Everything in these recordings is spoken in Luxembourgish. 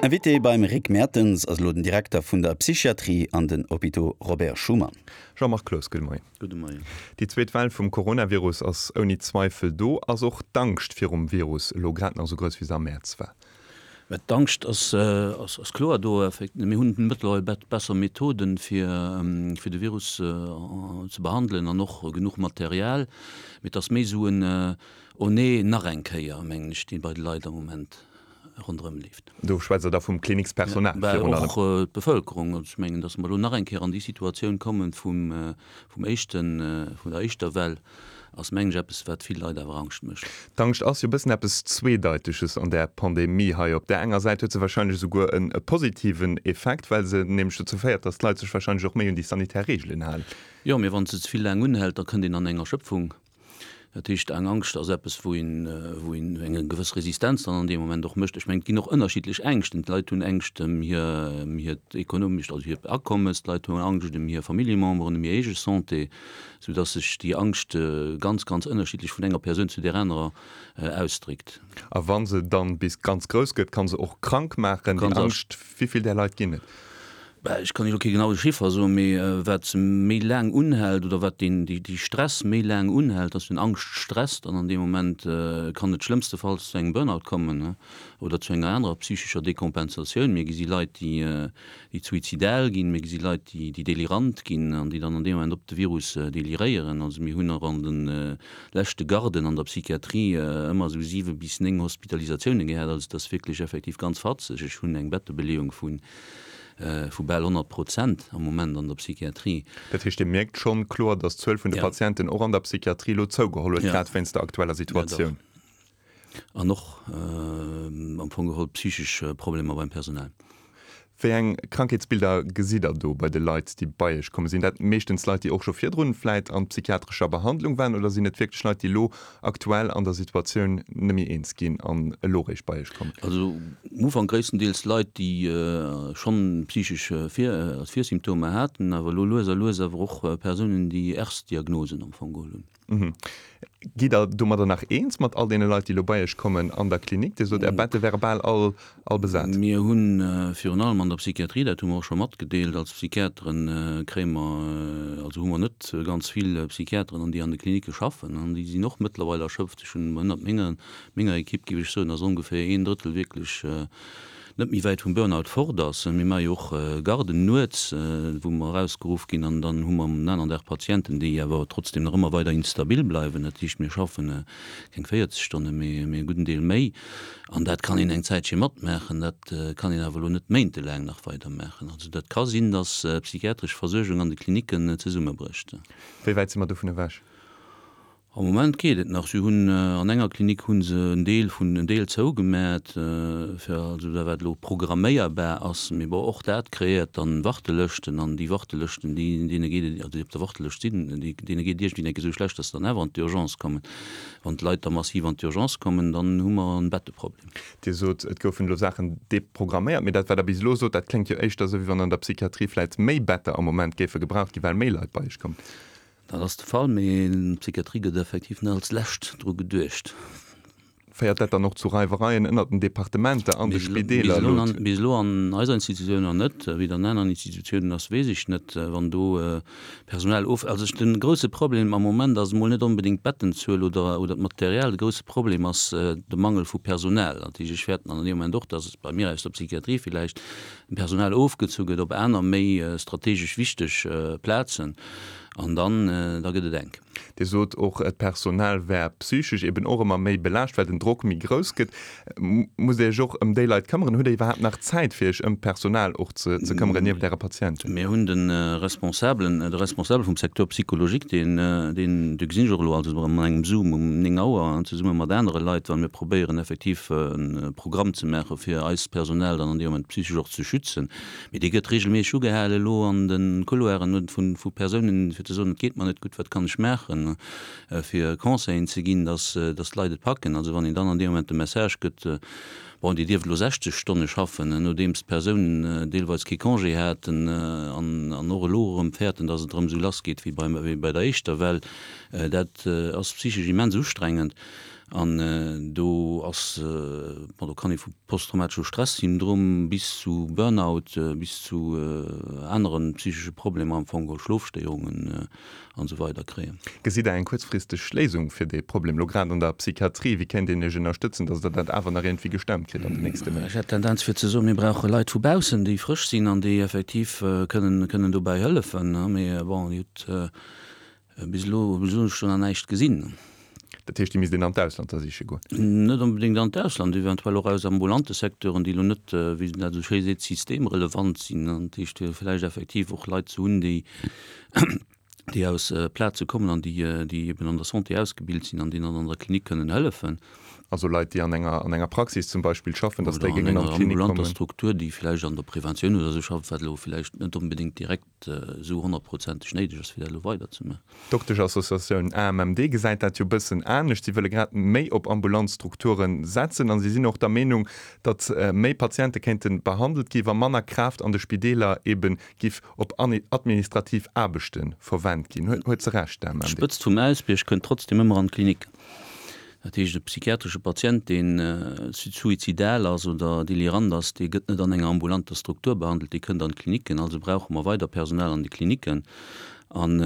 Invité beim Rick Mertens ass elo den Direkter vun der Psychiatrie an den Hôpitaux Robert Schuman. Jean-Marc Cloos, gudde Moien. Gudde Moien. Déi zweet Well vum Coronavirus ass ouni Zweifel do. Ass och d'Angscht virum Virus elo grad nach esou grouss, wéi se am Mäerz war? Mä d'Angscht ass kloer do. Mir hunn mëttlerweil besser Methoden, fir de Virus ze behandelen an och genuch Material. Mee et ass méi esou en Oh nee, nach eng Kéier, mengen ech, dee bei de Leit am Moment ronderëm leeft. Do schwätzt Der da vum Klinikspersonal virun allem? Och d'Bevëlkerung. Also ech mengen, datt mer elo nach eng Kéier an déi Situatioun kommen vum éischten, vun der éischter Well, ass mengen ech eppes, wat vill Leit awer Angscht mécht. D'Angscht ass jo e bëssen eppes Zweedeiteges an där Pandemie hei. Op där enger Säit huet se wahrscheinlech esouguer e positiven Effekt, well se nämlech dozou féiert, datt d'Leit sech wahrscheinlech och méi un déi sanitär Reegelen halen. Jo, mee wann se ze vill laang unhält, da kënnt een an eng Erschöpfung. Dat heescht, eng Angscht ass eppes, wou een, wou een eng gewëss Resistenz dann an deem Moment och mécht. Ech mengen, et ginn och ënnerschiddlech Ängschten. D'Leit hunn Ängscht ëm hir, ëm hiert ekonomescht, also hiert Akommes, d'Leit hunn Angscht ëm hir Familljememberen, ëm hir eege Santé, soudass sech déi Angscht ganz, ganz ënnerschiddlech vun enger Persoun zu där anerer ausdréckt. A wa se dann bis ganz grouss gëtt, ka se och krank maachen, déi Angscht. Wéi vill där Leit ginn et? Ech kann elo kee genaue Chiffer soen, mee wat méi laang unhält oder wat deen dee Stress méi laang unhält, dass den Angschtstress dann an deem Moment kann et schlëmmstefalls zu engem Burnout kommen oder zu enger anerer psychescher Dekompensatioun. Mir gesi Leit, déi déi suizidal ginn, mir gesi Leit, déi déi delirant ginn an déi dann an deem Moment op de Virus deliréieren. Also mir hunn och an de leschte Garden an der Psychiatrie ëmmer esou 7 bis 9 Hospitalisatiounen gehat. Also et ass wierklech effektiv ganz fatzeg. Ech hunn eng Bettebeleeung vun vu bal 100 Prozent am Moment an der Psychiatrie. Dat heescht, Dir mierkt schonn kloer, datt d'Zuel vun de Patienten och an der Psychiatrie elo zougeholl huet, grad wéinst der aktueller Situatioun? Jo, dach. An och am Fong geholl psychesch Problemer beim Personal. Wéi eng Krankheetsbilder gesitt Der do bei de Leit, déi bei Iech kommen? Sinn dat meeschtens Leit, déi och scho virdrun vläit an psychiatrescher Behandlung waren, oder sinn et wierklech Leit, déi elo aktuell an der Situatioun net méi eens ginn an elo réischt bei Iech kommen? Also um Ufank gréisstendeels Leit, déi schonn psychesch Virsymptomer haten, awer elo lues a lues awer och Persounen, déi Erstdiagnosen am Fong geholl hunn. Gitt Der domadder nach eens mat all deene Leit, déi elo bei Iech kommen an der Klinik? Dir sot, Är Bette wäre bal all all besat. Mir hu virun allem an der Psychiatrie, dat hu mer och scho matgedeelt, als Psychiateren kréie mer, also hu mer net ganz vill Psychiateren an déi an de Klinicke schaffen an déi sinn och mëttlerweil erschöpft. Ech hunn ënnert menger, menger Ekipp, géif ech soen, ass ongeféier een Drëttel wierklech net méi wäit vum Burnout fort ass. Mir maache jo och Garden nuets, wou mer erausgeruff ginn an dann hu mer am aneren Dag Patienten, déi awer trotzdem nach ëmmer weider instabil bleiwen. Dat heescht, mir schaffen keng 40 Stonne, mee e gudden Deel méi. An dat kann een eng Zäitche matmaachen, dat kann een awer elo net méintelaang nach weidermaachen. Also dat ka sinn, datt d'psychiatresch Versuergung an de Klinicken zesummebrécht. Wéi wäit si mer dovun ewech? Am Moment geet et nach. Si hunn an enger Klinik hu se en Deel vun en Deel zougemat, fir also dat wat elo programméierbar ass. Mee bon, och dat kreéiert dann Wartelëschten an déi Wartelëschten, déi deene geet et, also déi op der Wartelëscht sinn, déi deene geet et iergendwéi enke sou schlecht, datt se dann awer an d'Urgence kommen. Wann d'Leit da massiv an d'Urgence kommen, dann hu mer en Betteproblem. Dir sot, et goufen elo Saachen deprogramméiert, mee dat, wat Der bis elo sot, dat kléngt jo éischter esou, wéi wann an der Psychiatrie vläicht méi Better am Moment géife gebraucht ginn, well méi Leit bei Iech kommen. Dat ass de Fall, mee d'Psychiatrie gëtt effektiv net als lescht dru geduecht. Féiert dat dann och zu Reiwereien ënnert den Departementer an de Spideeler elo? Bis elo an eiser Institutioun nach net. Wéi et an aneren Institutiounen ass, weess ech net. Wann do Personal of, also de grousse Problem am Moment ass emol net onbedéngt d'Bettenzuel oder oder d'Material. De grousse Problem ass de Mangel vu Personal. Dat heescht, ech fäerten an deem Moment och, datt bei mir aus der Psychiatrie villäicht Personal ofgezu gëtt op aner méi strategesch wichteg Plazen an dann da gëtt et enk. Dir sot och, d'Personal wär psychesch eben och ëmmer méi belaascht, well den Drock méi grouss gëtt. Musst Dir Iech och ëm déi Leit këmmeren? Hutt Dir iwwerhaapt nach Zäit, fir Iech ëm d'Personal och ze këmmeren, nieft Äre Patienten? Mir hunn de Responsabelen, de Responsabel vum Secteur psychologique, deen, deen, dee gesinn ech och elo also an engem Zoom um 9 Auer zesumme mat anere Leit, well mir probéieren effektiv e Programm ze maache fir eist Personal dann an deem Moment psychesch och ze schützen. Mee dee gëtt reegelméisseg ugehale elo an de Couloiren vu Persounen, fir ze soen, et geet mer net gutt, wat kann ech maachen, fir Conseillen ze ginn, datt d'Leit et packen. Also wann een dann an deem Moment de Message gëtt, bon, Dir dierft elo 60 Stonne schaffen, nodeems d'Persounen deelweis kee Congé haten an och elo erëm fäerten, datt et erëm esou lassgeet wéi bei der éischter Well, dat ass psychesch immens ustrengend. An do ass, bon, do kann ee vu posttraumatesche Stress-Syndrom bis zu Burnout, bis zu anere psychesche Problemer am Fong geholl, Schlofstéierungen an esou weider kréien. Gesitt Der eng kuerzfristeg Léisung fir dee Problem, elo grad an der Psychiatrie? Wéi kéint een Iech ënnerstëtzen, datt Der dat awer nach iergendwéi gestemmt kritt an den nächste Méint? Ech hätt d'Tendenz fir ze soen, mir brauche Leit vu baussen, déi frësch sinn an déi effektiv kënnen, kënnen dobäi hëllefen. Mee bon, Dir hutt Bis elo hunn ech do nach näischt gesinn. Dat heescht, déi misst een an d'Ausland da siche goen? Net onbedéngt an d'Ausland, eventuell och aus ambulante Secteuren, déi elo net, wéi een dat esou schéi seet, systemrelevant sinn. Dat heescht, vläicht effektiv och Leit ze hunn, déi, déi aus Plaze kommen an déi, déi eben an der Santé ausgebilt sinn an déi dann an der Klinik kënnen hëllefen. Also Leit, déi an enger, an enger Praxis zum Beispill schaffen, datt déi géingen an d'Klinik kommen. Oder an enger ambulanter Struktur, déi vläicht an der Preventioun oder esou schafft, wat elo vläicht net onbedéngt direkt esou honnertprozenteg néideg ass, fir dat elo weiderzemaachen. D'Dokteschassociatioun AMMD gesäit dat jo bëssen anescht. Si wëlle grad méi op ambulant Strukture setzen a si sinn och der Meenung, datt méi Patiente kéinte behandelt gi wa manner Kraaft an de Spideeler ebe giff op administrativ Aarbechte verwent ginn. Huet se Recht, d'AMMD? D'Spëtzt vum Äisbierg kënnt trotzdem ëmmer an d'Klinik. Dat heescht, e psychiatresche Patient, deen suizidal ass oder delirant ass, dee gëtt net an enger ambulanter Struktur behandelt, dee kënnt an d'Klinicken. Also brauche mer weider Personal an de Klinicken. An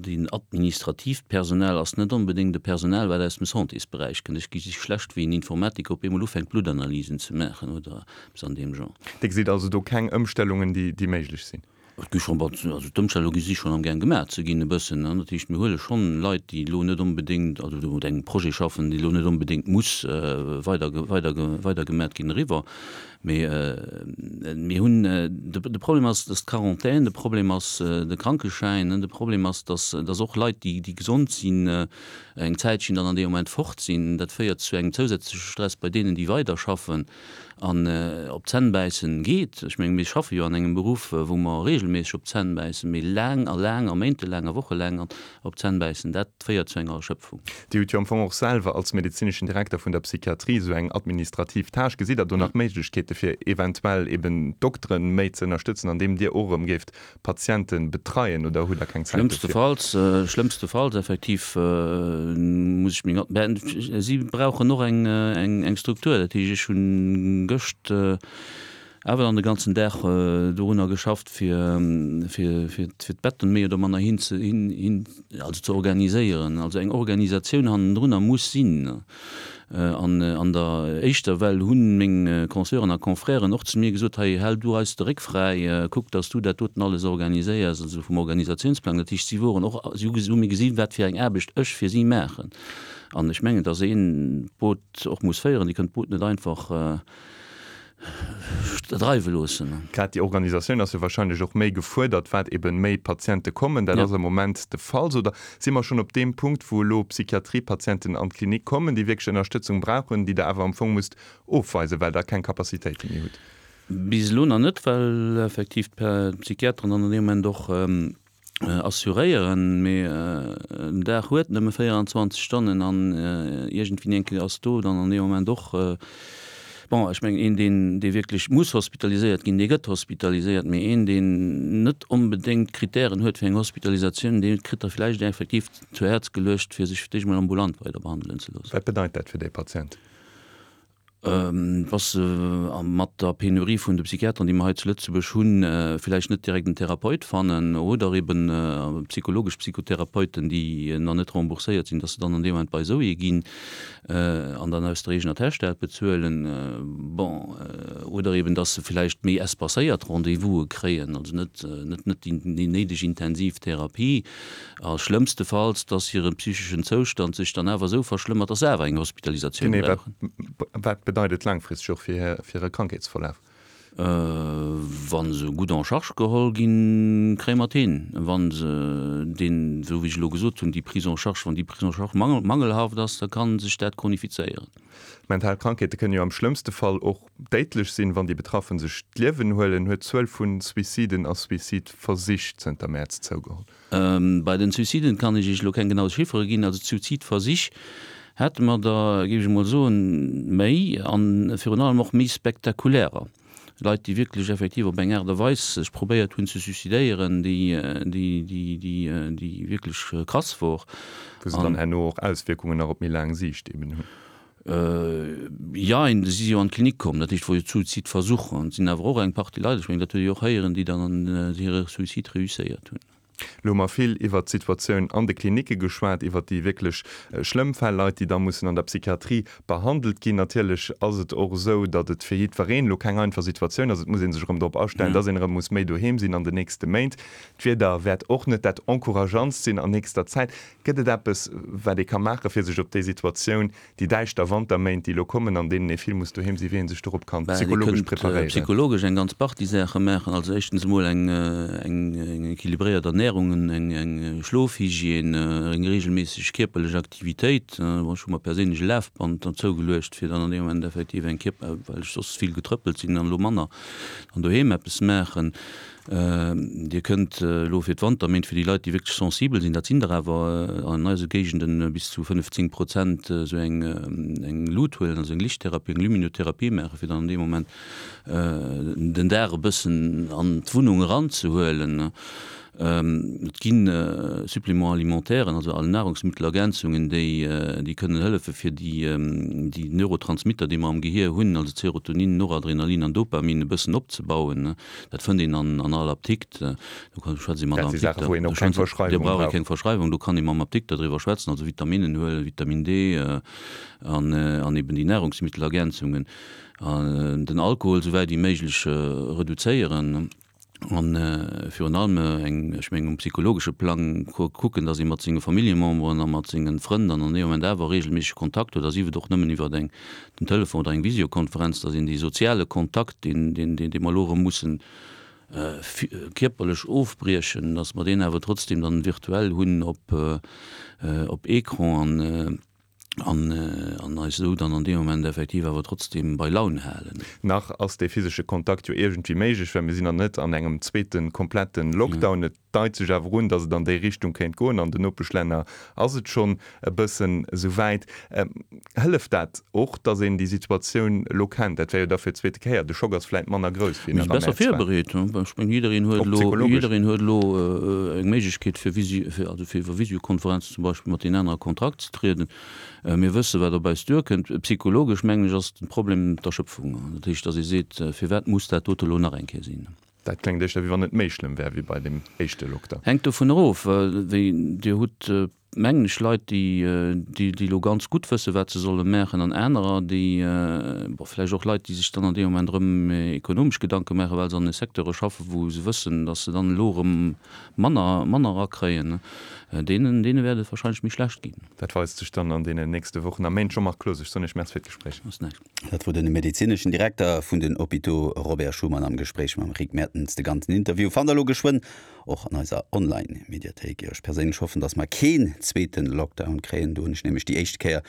deen administratiivt Personal ass net onbedéngt e Personal, wat aus dem Santésberäich kënnt. Ech gesi schlecht, wéi en Informatiker op eemol ufänkt, Bluttanalysen ze maachen oder eppes an deem Genre. Dir gesitt also do keng Ëmstellungen, déi méiglech sinn? Et gi schonn, also d'Ëmstellunge si schonn amgaang gemaach ze ginn e bëssen. Dat heescht, mir huele schonn Leit, déi elo net onbedéngt, also déi un engem Projet schaffen, déi elo net onbedéngt muss weider, weider, weidergemat ginn, eriwwer. Mee mir hunn, de Problem ass, dass d'Quarantaine, de Problem ass de Krankeschäin, de Problem ass, dass, dass och Leit, déi, déi gesond sinn, eng Zäitchen dann an deem Moment fort sinn. Dat féiert zu engem zousätzleche Stress bei deenen, déi weiderschaffen. An op d'Zänn bäissen geet. Ech mengen, mir schaffe jo an engem Beruff, wou mer regelméisseg op d'Zänn bäissen, mee laang a laang a méintelaang a wochelaang op d'Zänn bäissen, dat féiert zu enger Erschöpfung. Dir hutt jo am Fong och selwer als medezineschen Direkter vun der Psychiatrie esou eng administrativ Tâche. Gesitt Der do nach Méiglechkeete fir eventuell eben d'Dokteren méi ze ënnerstëtzen, andeem Dir och erëm géift Patienten betreien oder hutt der keng Zäit dofir? Schlëmmstefalls, schlëmmstefalls effektiv muss ech meng, ben si brauchen och eng eng Struktur. Dat heescht, ech hunn gëscht awer dann de ganzen Dag dorunner geschafft fir fir fir d'Betten méi oder manner hin ze hin hin also ze organiséieren. Also eng Organisatioun hannendrunner muss sinn. An an der éischter Well hu meng Consoeuren a Confrèren och zu mir gesot, hei hal du eis de Réck fräi, kuck datt s du dat doten alles organiséiers, also vum Organisatiounsplang. Dat heescht, si woren och, si hu mir gesinn, wat fir eng Aarbecht ech fir si maachen. An ech mengen, datt een d'Boot och muss féieren. Dir kënnt d'Boot net einfach dreiwe loossen. Grad déi Organisatioun ass jo wahrscheinlech och méi gefuerdert, wat eben méi Patiente kommen. Dat ass am Moment de Fall. Oder si mer schonn op deem Punkt, wou elo Psychiatriepatienten an d'Klinik kommen, déi wierklech Ënnerstëtzung brauchen, déi Der awer am Fong musst ofweisen, well Der keng Capacitéite méi hutt? Bis elo nach net, well effektiv d'Psychiateren dann an deem Moment och assuréieren, mee en Dag huet nëmme 24 Stonnen an iergendwéi eng Kéier ass do dann an deem Moment och, bon, ech mengen een, deen, dee wierklech muss hospitaliséiert ginn, dee gëtt hospitaliséiert, mee een, deen net onbedéngt d'Kritären huet fir eng Hospitalisatioun, dee kritt da vläicht effektiv zu Häerz geluecht, fir sech fir d'éischt mol ambulant weider behandelen ze loossen. Wat bedeit dat fir dee Patient? Wa se mat der Penurie vun de Psychiateren, déi mer hei zu Lëtzebuerg hunn, villäicht net direkt en Therapeut fannen oder eben psychologesch Psychotherapeuten, déi nach net rembourséiert sinn, dass se dann an deem Moment bei esou ee ginn an dann aus der eegener Täsch dat bezuelen. Bon, oder eben dass se villäicht méi espacéiert Rendez-vouse kréien, also net net déi néideg intensiv Therapie. A schlëmmstefalls, dass hire psycheschen Zoustand sech dann awer esou verschlëmmert, dass se awer eng Hospitalisatioun Genee, wat, brauchen. wat bedeit et laangfristeg och fir hire Krankheetsverlaf? Wa se gutt en charge geholl ginn, kréie mer et hin. Wa se deen, esou wéi ech elo gesot hunn, déi Prise en charge, wann déi Prise en charge mangelhaft ass, da ka sech dat chronifizéieren. Mental Krankheete kënnen jo am schlëmmste Fall och déidlech sinn, wann déi Betraffen sech d'Liewen huelen. Huet d'Zuel vu Suiciden a Suicideversich zënter Mäerz zougeholl? Bei den Suiciden kann ech Iech elo keng genau Chiffere ginn. Also d'Suizidversich hate mer der, géif ech emol soen, méi a virun allem och méi spektakulärer. Leit, déi wierklech effektiv op eng Aart a Weis sech probéiert hunn ze suicidéieren, déi, déi, déi, déi, déi wierklech krass wor. Wou se dann herno och Auswierkungen nach op méi laang Siicht eben hunn. Jein, si si jo an d'Klinik komm, dat heescht, wor jo Suizidversuch. An et sinn awer och eng Partie Leit, ech mengen, dat hutt Dir jo och héieren, déi dann an hire Suicide reusséiert hunn. Elo hu mer vill iwwert d'Situatioun an de Klinicke geschwat, iwwert déi wierklech schlëmm Fäll, Leit, déi da mussen an der Psychiatrie behandelt ginn. Natierlech ass et och esou, datt et fir jiddwereen elo keng einfach Situatioun ass. Et muss ee sech erëm drop astellen, datt een erëm muss méi doheem sinn an den nächste Méint. D'Wieder wäert och net dat encourageantst sinn an nächster Zäit. Gëtt et eppes, wat ee ka maachen, fir sech op déi Situatioun Déi däischter Wanterméint, déi elo kommen, an deenen ee vill muss doheem sinn, wéi ee sech dorop kann Bah, Dir psychologesch kënnt preparéieren. psychologesch eng ganz Partie Saache maachen. Also éischtens emol eng eng équilibréiert Ernährung, eng eng Schlofhygiène, eng regelméisseg kierperlech Aktivitéit. Bon, ech hu mer perséinlech e Lafband dann zougeluecht, fir dann an deem Moment effektiv eng Kierper, well ech soss vill getrëppelt sinn an elo manner, dann doheem eppes maachen. Dir kënnt elo fir d'Wanterméint, fir déi Leit, déi wierklech sensibel sinn, dat sinn der awer an eise Géigende bis zu 15 Prozent, esou eng Lut huelen, also eng Lichttherapie, eng Luminotherapie maachen, fir dann an deem Moment den Dag e bëssen an d'Wunnung eranzehuelen. Et gi Suppléments alimentairen, also Nahrungsmittelergänzungen, déi kënnen hëllefe fir déi Neurotransmitter, déi mer am Gehier hunn, also Serotonin, Noradrenalin an Dopamin, e bëssen opzebauen. Dat fënnt een an all Apdikt. Do kann schwätzt ee mat Dat si Saachen, wou een och keng Verschreiwung brauch. Do brauch ee keng Verschreiwung, do kann ee mam Apdikter driwwer schwätzen, also Vitaminnen huelen, Vitamin D an an eben déi Nahrungsmittelergänzungen. An den Alkohol esou wäit wéi méiglech reduzéieren an virun allem eng, ech mengen um psychologesche Plang kucken, datt ee mat senge Familljememberen a mat senge Frënn dann an deem Moment awer regelméisseg Kontakt huet, a sief et och nëmmen iwwert eng den Telefon oder eng Visiokonferenz, dass een dee soziale Kontakt, deen, deen, dee mer elo erëm mussen kierperlech ofbriechen, dass mer deen awer trotzdem dann virtuell hunn op, op Ecran an, an, an eis esou dann an deem Moment effektiv awer trotzdem bei Laun halen. Nach ass dee physesche Kontakt jo iergendwéi méiglech, well mir sinn nach net an engem zweete komplette Lockdown. Et deit sech awer un, datt et an déi Richtung kéint goen. An den Nopeschlänner ass et schonn e bëssen esou wäit. Hëlleft dat och, datt een déi Situatioun elo kennt? Dat wär jo da fir d'zweete Kéier. De Schock ass vläit manner grouss wéi nach am Mäerz war. Besser virbereet. Ech mengen, jiddereen huet elo, jiddereen huet elo eng Méiglechkeet fir Visi-, fir also fir iwwer Visiokonferenzen zum Beispill mat deenen anere a Kontakt ze trieden. Mir wësse wat op eis duerkënnt. Psychologesch, mengen ech, ass de Problem d'Erschöpfung. Dat heescht, datt ee seet, Firwat muss dat dote elo nach eng Kéier sinn? Dat kléngt éischter, wéi wann et méi schlëmm wär wéi bei deem éischte Lockdown. Hänkt dovun erof, wéi Dir hutt, mengen ech, Leit, déi, déi elo ganz gutt wësse wat se solle maachen an anerer, déi, bon, vläicht och Leit, déi sech dann an deem Moment erëm ekonomesch Gedanke maachen, well se an Secteure schaffen, wou se wëssen, datt se dann elo erëm manner, manner erakréien. Deenen, deene wäert et wahrscheinlech méi schlecht ginn. Dat weist sech dann an deenen nächste Wochen a Méint. Jean-Marc Cloos, ech soen Iech Merci fir d'Gespréich. Ass näischt. Dat wor den medezineschen Direkter vun den Hôpitaux Robert Schuman am Gespréich mam Rick Mertens. De ganzen Interview fannt der elo geschwënn och an eiser Online-Mediathéik. Ech perséinlech hoffen, dass mer keen zweeten Lockdown kréien. Do hunn ech nämlech déi éischt Kéier.